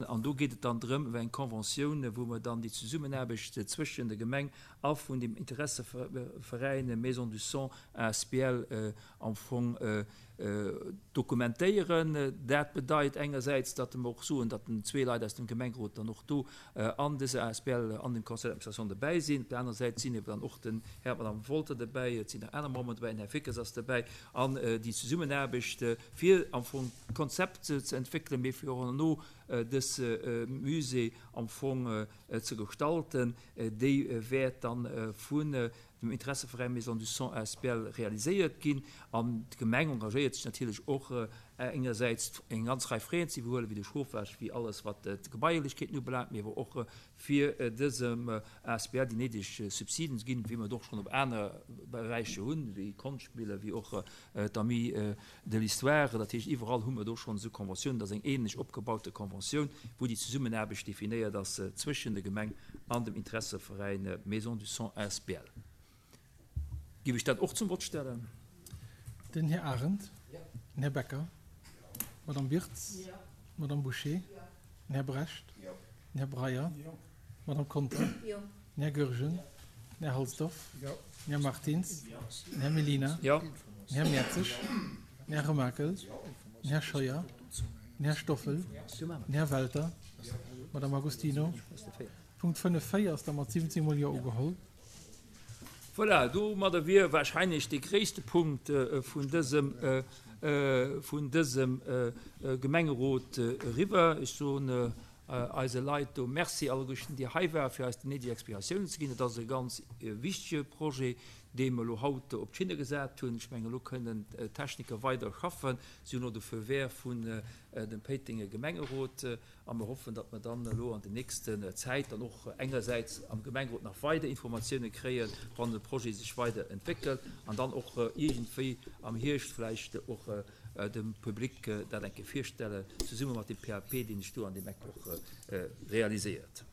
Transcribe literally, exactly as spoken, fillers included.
An do geet et dann drëm, iwwer eng Conventioun, wou mer dann déi Zesummenaarbecht zwëschen der Gemeng a vun dem Interesseveräin Maison du Son asbl am Fong dokumentéieren. Dat bedeit engersäits, datt mer och soen, datt den zwee Leit aus dem Gemengerot dann och do an dëser asbl, an dem Conseil d'administration dobäi sinn. Op der anerer Säit sinn eeben dann och den Här an d'Madame Wolter dobäi, et sinn nach aner Memberen dobäi, den Här Fickes ass dobäi. An déi Zesummenaarbecht, fir am Fong d'Konzept ze entwéckelen, mee fir och herno dës Musée am Fong ze gestalten, déi wäert dann vun dem Interesseveräin Maison du Son asbl realiséiert ginn. An d'Gemeng engagéiert sech natierlech och engersäits eng ganz Rei Fräen ze iwwerhuelen, wéi de Chauffage, wéi alles wat d'Gebaierlechkeeten ubelaangt, mee awer och fir dësem asbl déi néideg Subsiden ze ginn, wéi mer et och schonn op aner Beräicher hunn, wéi Konschtmille, wéi och d'Amis de l'Histoire. Dat heescht, iwwerall hu mer do schonn esou Conventiounen. Dat ass eng ähnlech opgebaute Conventioun, wou déi Zesummenaarbecht definéiert ass zwëschen der Gemeng an dem Interesseveräin Maison du Son asbl. Giff ech dat och zum Vott stellen? Den Här Arendt. Den Här Becker. D'Madame Wirtz. D'Madame Bouché. Den Här Brecht. Den Här Breyer. D'Madame Conter. Den Här Goergen. Den Här Halsdorf. Den Här Martins. Den Här Mellina. Den Här Mertzig. Den Här Remakel. Den Här Scheuer. Den Här Stoffel. Den Här Welter. D'Madame Agostino. Punkt fënnef véier ass da mat siwwenzéng mol Jo ugeholl. Voilà, domadder wier wahrscheinlech dee gréisste Punkt vun dësem, vun dësem Gemengerot eriwwer. Ech soen eise Leit do Merci, alleguerten, déi hei waren, fir eis déi néideg Explikatiounen ze ginn. Et ass e ganz wichtege Projet, dee mer elo haut op d'Schinne gesat hunn. Ech mengen, elo kënnen d'Techniker weider schaffen. Si hunn elo de Feu vert vun dem Péitenger Gemengerot. A mer hoffen, datt mer dann elo an der nächsten Zäit dann och engersäits am Gemengerot nach weider Informatiounen kréien, wann de Projet sech weider entwéckelt, an dann och iergendwéi am Hierscht vläicht och dem Public dat eng Kéier virstellen, zesumme mat dem P A P, deen sech do an deem Eck och realiséiert.